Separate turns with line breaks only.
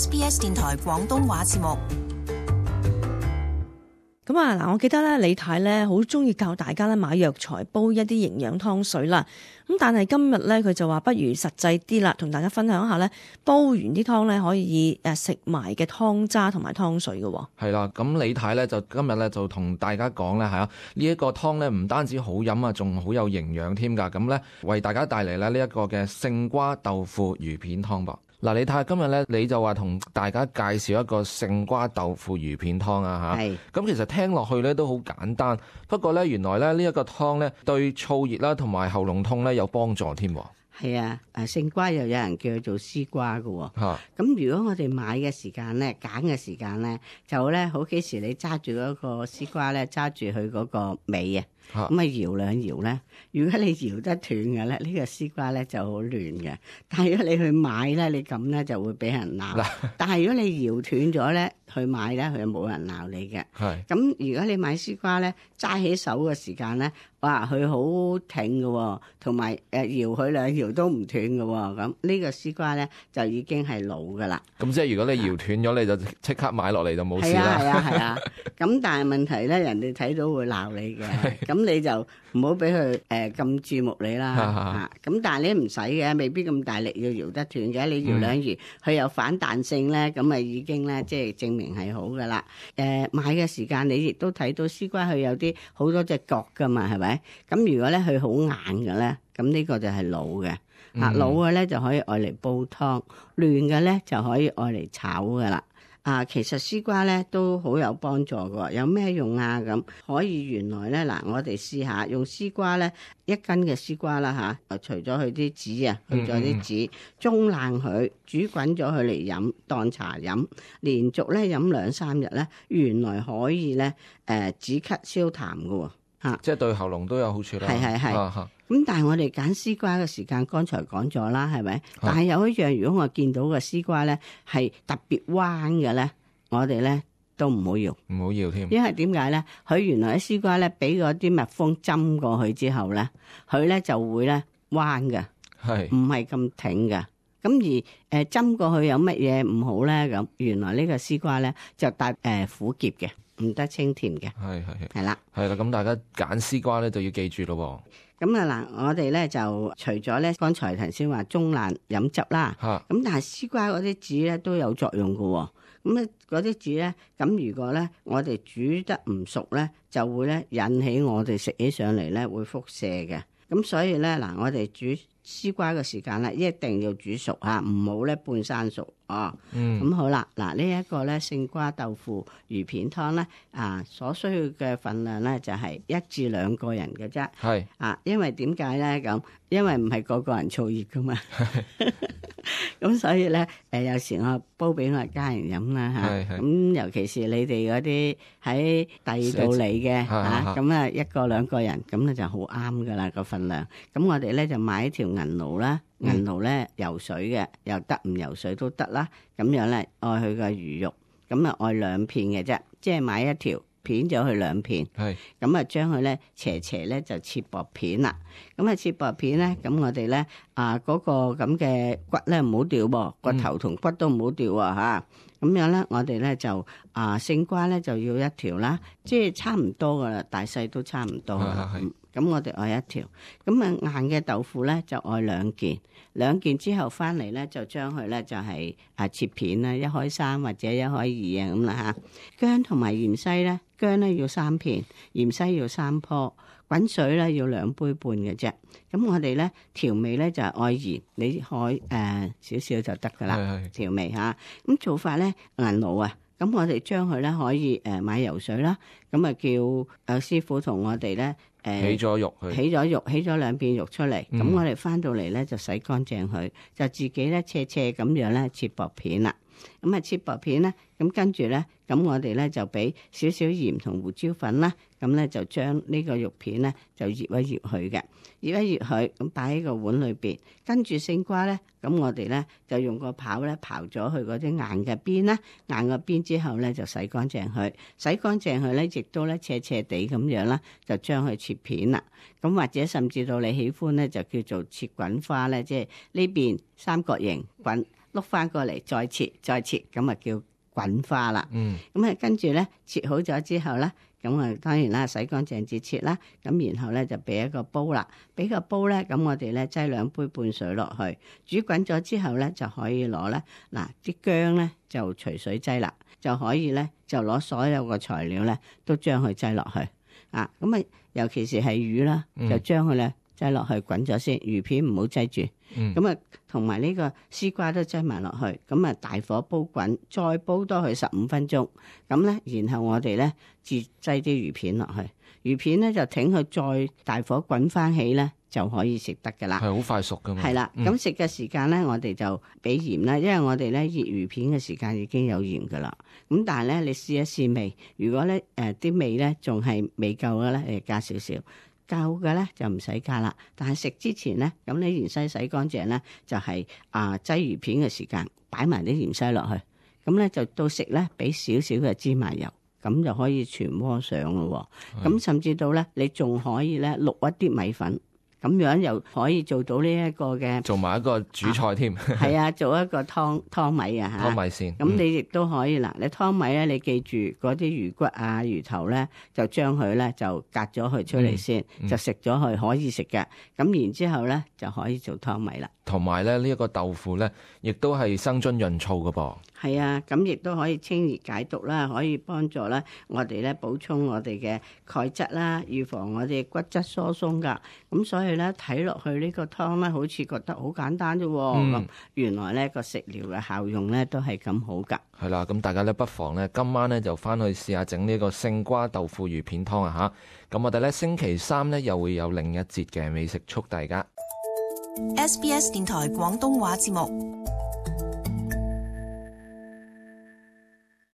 SBS 電台廣東話節目。
咁啊嗱，我記得咧，李太咧好中意教大家咧買藥材煲一啲營養湯水啦。咁但係今日咧，佢就話不如實際啲啦，同大家分享一下咧，煲完啲湯咧可以食埋嘅湯渣同埋湯水嘅。
係啦，咁李太咧就今日咧就同大家講咧，係啊，呢一個湯咧唔單止好飲啊，仲好有營養添㗎。咁咧為大家帶嚟咧呢一個嘅勝瓜豆腐魚片湯噃。嗱，李太今日咧你就話同大家介紹一個勝瓜豆腐魚片湯啊嚇。係。咁其實聽落去咧都好簡單，不過咧原來咧呢一個湯咧對燥熱啦同埋喉嚨痛咧有幫助添。
係啊，勝瓜又有人叫佢做絲瓜嘅喎。咁如果我哋買嘅時間咧，揀嘅時間咧，就咧好幾時你揸住嗰個絲瓜咧，揸住佢嗰個尾啊，咁啊搖兩搖咧。如果你搖得斷嘅咧，呢個絲瓜咧就好亂嘅。但係如果你去買咧，你咁咧就會俾人鬧。但係如果你搖斷咗咧，去買咧，佢就冇人鬧你嘅。咁如果你買絲瓜咧，揸起手嘅時間咧，哇，佢好挺嘅，同埋搖佢兩搖都唔斷嘅。咁呢個絲瓜咧就已經係老㗎啦。咁
即係如果你搖斷咗，你就即刻買落嚟就冇事啦。
係啊。咁但係問題咧，人哋睇到會鬧你嘅。咁你就唔好俾佢咁注目你啦。咁但係你唔使嘅，未必咁大力要搖得斷嘅。你搖兩搖，佢有反彈性咧，咁啊已經咧即係證明係好㗎啦。買嘅時間你亦都睇到絲瓜佢有啲好多隻角㗎嘛，係咪？咁如果咧佢好硬嘅咧，咁呢個就係老嘅。老嘅咧就可以愛嚟煲湯，嫩嘅咧就可以愛嚟炒㗎啦。其實絲瓜咧都好有幫助嘅，有咩用啊？咁可以原來咧嗱，我哋試下用絲瓜咧，1斤嘅絲瓜啦嚇，除咗佢啲籽啊，去咗啲籽，中爛佢，煮滾咗佢嚟飲當茶飲，連續咧飲2-3日咧，原來可以咧止咳消痰嘅喎。
即係對喉嚨都有好處啦。
係。咁但係我哋揀絲瓜嘅時間，剛才講咗啦，係咪？但係有一樣，如果我見到個絲瓜咧係特別彎嘅咧，我哋咧都唔好搖，
唔好搖添。
因為點解咧？佢原來啲絲瓜咧俾嗰啲蜜蜂針過去之後咧，佢咧就會咧彎嘅，唔係咁挺嘅。咁而針過去有乜嘢唔好咧？咁原來呢個絲瓜咧就帶苦澀嘅，唔得清甜嘅。係啦。
咁大家揀絲瓜咧就要記住咯。
咁啊嗱，我哋咧就除咗咧，剛才頭先話中爛飲汁啦，咁但係絲瓜嗰啲籽咧都有作用㗎。咁咧嗰啲籽咧，咁如果咧我哋煮得唔熟咧，就會咧引起我哋食起上嚟咧會輻射嘅。咁所以咧嗱，我哋煮絲瓜嘅時間咧一定要煮熟嚇，唔好咧半生熟哦。咁好啦，嗱呢一個咧勝瓜豆腐魚片湯咧所需要嘅份量咧就係1至2個人嘅啫。因為點解咧咁？因為唔係個個人燥熱噶嘛。咁所以咧有時我煲俾我家人飲啦嚇。咁尤其是你哋嗰啲喺第二度嚟嘅嚇，咁啊1個2個人咁咧就好啱噶啦個份量。咁我哋咧就買一條銀鱸啦，銀鱸咧游水嘅又得，唔游水都得啦。咁樣咧愛佢個魚肉，咁啊愛2片嘅啫，即係買一條片咗佢2片。咁啊將佢咧斜咧就切薄片啦。咁啊切薄片咧，咁我哋咧嗰個咁嘅骨咧唔好掉噃，骨頭同骨都唔好掉啊嚇。咁樣咧，我哋咧就勝瓜咧就要1條啦，即係差唔多噶啦，大細都差唔多啦。咁我哋愛1條，咁硬嘅豆腐咧就愛2件之後翻嚟咧就將佢咧就係切片啦，1開3或者1開2啊咁啦嚇。薑同埋芫茜咧，薑咧要3片，芫茜要3棵，滾水咧要2杯半嘅啫。咁我哋咧調味咧就係愛鹽，你可少少就得噶啦。調味嚇，咁做法咧銀鱸啊，咁我哋將佢咧可以買游水啦，咁啊叫師傅同我哋咧
起咗肉，
起咗2片肉出嚟。咁我哋翻到嚟咧就洗乾淨佢，就自己咧斜咁樣咧切薄片啦。咁切薄片咧，咁跟住咧，咁我哋咧就俾少少鹽同胡椒粉啦，咁咧就將呢個肉片咧就醃一醃佢嘅，醃一醃佢，咁擺喺個碗裏邊。跟住勝瓜咧，咁我哋咧就用個刨咧刨咗佢嗰啲硬嘅邊啦，硬嘅邊之後咧就洗乾淨佢，洗乾淨佢咧亦都咧斜地咁樣啦，就將佢切片啦。咁或者甚至到你喜歡咧，就叫做切滾花咧，即係呢邊三角形滾。碌翻過嚟再切，咁啊叫滾花啦。
嗯，
咁啊跟住咧切好咗之後咧，咁啊當然啦，洗乾淨至切啦。咁然後咧就俾一個煲啦，俾個煲咧，咁我哋咧擠2杯半水落去，煮滾咗之後咧就可以攞咧嗱啲薑咧就隨水擠啦，就可以咧就攞所有個材料咧都將佢擠落去啊。咁啊尤其是係魚啦，就將佢咧擠落去滾咗先，魚片唔好擠住。咁啊同埋呢個絲瓜都擠埋落去，咁啊大火煲滾，再煲多佢15分鐘。咁咧，然後我哋咧至擠啲魚片落去，魚片咧就挺佢再大火滾翻起咧，就可以食得噶啦。
係好快熟噶嘛。
係啦，咁食嘅時間咧，我哋就俾鹽啦，因為我哋咧醃魚片嘅時間已經有鹽噶啦。咁但係咧，你試一試味，如果咧啲味咧仲係未夠嘅咧，你加少少。夠嘅咧就唔使加啦，但係食之前咧，咁你芫茜洗乾淨咧，就係擠魚片嘅時間擺埋啲芫茜落去，咁咧就到食咧俾少少嘅芝麻油，咁就可以全鍋上咯。咁甚至到咧你仲可以咧渌一啲米粉，咁樣又可以做到呢一個嘅
做埋一個主菜添。
係啊，做一個湯米啊嚇。
湯米線。
咁你亦都可以啦。你湯米咧，你記住嗰啲魚骨啊、魚頭咧，就將佢咧就隔咗佢出嚟先，就食咗佢可以食嘅。咁然之後咧就可以做湯米啦。
同埋咧呢一個豆腐咧，亦都係生津潤燥嘅噃。
係啊，咁亦都可以清熱解毒啦，可以幫助咧我哋咧補充我哋嘅鈣質啦，預防我哋骨質疏鬆噶。咁所以咧睇落去呢個湯咧，好似覺得好簡單啫。咁原來咧個食療嘅效用咧都係咁好噶。
係啦，咁大家咧不妨咧今晚咧就翻去試下整呢個勝瓜豆腐魚片湯啊嚇。咁我哋咧星期3咧又會有另一節嘅美食速遞噶。
SBS 電台廣東話節目。